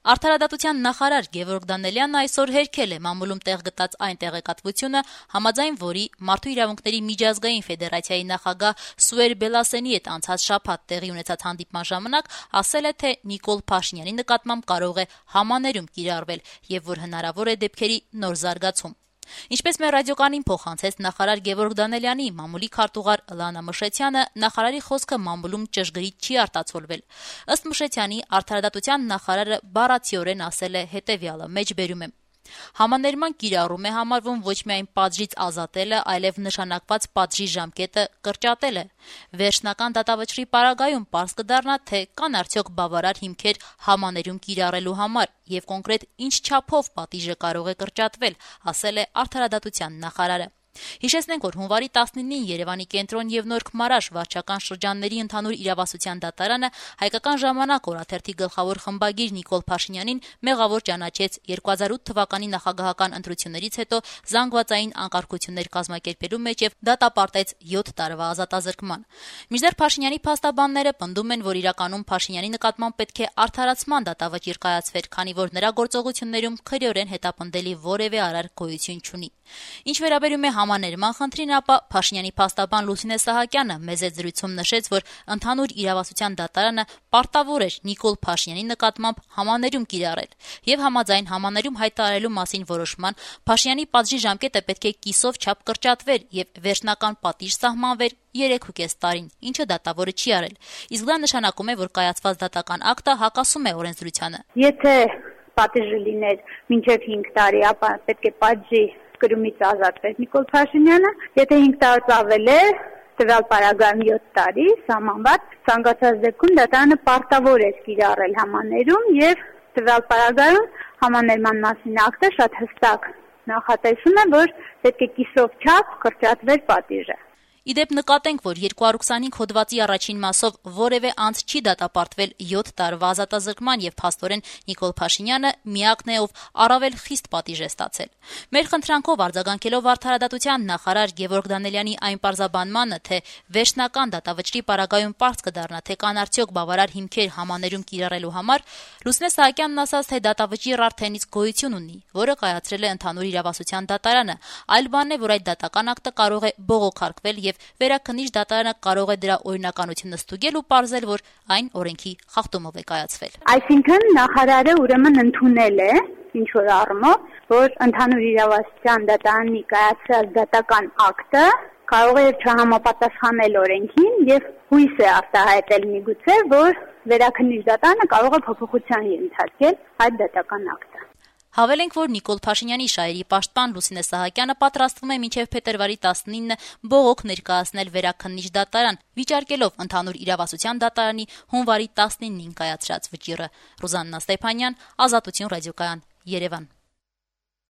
Արդարադատության նախարար Գևորգ Դանելյանը այսօր հերքել է մամուլում տեղ գտած այն տեղեկատվությունը, համաձայն որի Մարդու իրավունքների միջազգային ֆեդերացիայի նախագահ Սուեր Բելասենի հետ անցած շաբաթ տեղի ունեցած հանդիպման ժամանակ ասել է, թե Նիկոլ Փաշինյանի նկատմամբ կարող է համաներում կիրառվել եւ որ հնարավոր է դեպքերի նոր զարգացում։ Ինչպես մեր ռադիոկանին փոխանցեց նախարար Գևորգ Դանելյանի մամուլի քարտուղար Լանա Մշետյանը, նախարարի խոսքը մամուլում ճշգրիտ չի արտացոլվել։ Ըստ Մշետյանի, արդարադատության նախարարը բառացիորեն ասել է հետևյալը, մեջբերում եմ. Համաներման կիրառում է համարվում ոչ միայն պատժից ազատելը, այլև նշանակված պատժի ժամկետը կրճատելը։ Վերջնական դատավճռի պարագայում պարզ կդառնա, թե կան արդյոք բավարար հիմքեր համաներում կիրառելու համար եւ կոնկրետ ինչ չափով պատիժը կարող է կրճատվել, ասել է արդարադատության նախարարը։ Հիշեցնենք, որ հունվարի 19-ին Երևանի կենտրոն եւ Նորք Մարաշ վարչական շրջանների ընդհանուր իրավասության դատարանը Հայկական ժամանակ օրաթերթի գլխավոր խմբագիր Նիկոլ Փաշինյանին մեղավոր ճանաչեց 2008 թվականի նախագահական ընտրություններից հետո զանգվածային անկարգություններ կազմակերպելու մեջ եւ դատապարտեց 7 տարվա ազատազրկման։ Մինչդեռ Փաշինյանի փաստաբանները պնդում են, որ իրականում Փաշինյանի նկատմամբ պետք է արդարացման դատավճիռ կայացվեր, քանի որ նրա գործողություններում քրեորեն հետապնդելի որևէ արար գոյություն չունի։ Ինչ վերաբերում է համաներման խնդրին, ապա Փաշինյանի փաստաբան Լուսինե Սահակյանը մեծ զրույցում նշեց, որ ընդհանուր իրավասության դատարանը պարտավոր էր Նիկոլ Փաշինյանի նկատմամբ համաներում կիրառել եւ համաձայն համաներում հայտարարելու մասին որոշման Փաշինյանի պատժի ժամկետը պետք է կիսով չափ կրճատվեր եւ վերջնական պատիժ սահմանվեր 3.5 տարին, ինչը դատավորը չի արել։ Իսկ դա նշանակում է, որ կայացված դատական ակտը հակասում է օրենսդրությանը։ Եթե պատիժը լիներ մինչև 5 տարի, ապա պետք է պատժի կրումից ազատվեր Նիկոլ Փաշինյանը, եթե 5 տարուց ավել է, տվյալ պարագայում 7 տարի սահմանված, ցանկացած դեպքում դատարանը պարտավոր է կիրառել համաներում եւ տվյալ պարագայում համաներման մասին ակտը շատ հստակ նախատեսում է, որ պետք է կիսով չափ կրճատվեր պատիժը։ Իդեպ նկատենք, որ 225 հոդվածի առաջին մասով որևէ անձ չի դատապարտվել 7 տարվա ազատազրկման եւ փաստորեն Նիկոլ Փաշինյանը միակն է, ով առավել խիստ պատիժ է ստացել։ Մեր խնդրանքով արձագանքելով արդարադատության նախարար Գևորգ Դանելյանի այն պարզաբանմանը, թե վերջնական դատավճռի պարագայում պարզ կդառնա, թե կան արդյոք բավարար հիմքեր համաներում կիրառելու համար, Լուսինե Սահակյանն ասաց, թե դատավճիռ արդեն իսկ գոյություն ունի, որը կայացրել է ընդհանուր իրավասության դատարանը։ Այլ բանն է, որ այդ դատական ակտը կարող է բողոքարկվել եւ Վերաքննիչ դատարանը կարող է դրա օրինականությունը ստուգել ու պարզել, որ այն օրենքի խախտումով է կայացվել։ Այսինքն նախարարը ուրեմն ընդունել է ինչ որ առումով, որ ընդհանուր իրավասության դատարանի կայացրած դատական ակտը կարող է չհամապատասխանել օրենքին եւ հույս է արտահայտել միգուցե, որ Վերաքննիչ դատարանը կարող է փոփոխության ենթարկել այդ դատական ակտը։ Հավելենք, որ Նիկոլ Փաշինյանի շահերի պաշտպան Լուսինե Սահակյանը պատրաստվում է մինչև փետրվարի 19 բողոք ներկայացնել Վերաքննիչ դատարան, վիճարկելով ընդհանուր իրավասության դատարանի հունվարի 19-ին կայացրած վճիռը։ Ռուզաննա Ստեփանյան, Ազատություն ռադիոկայան, Երևան։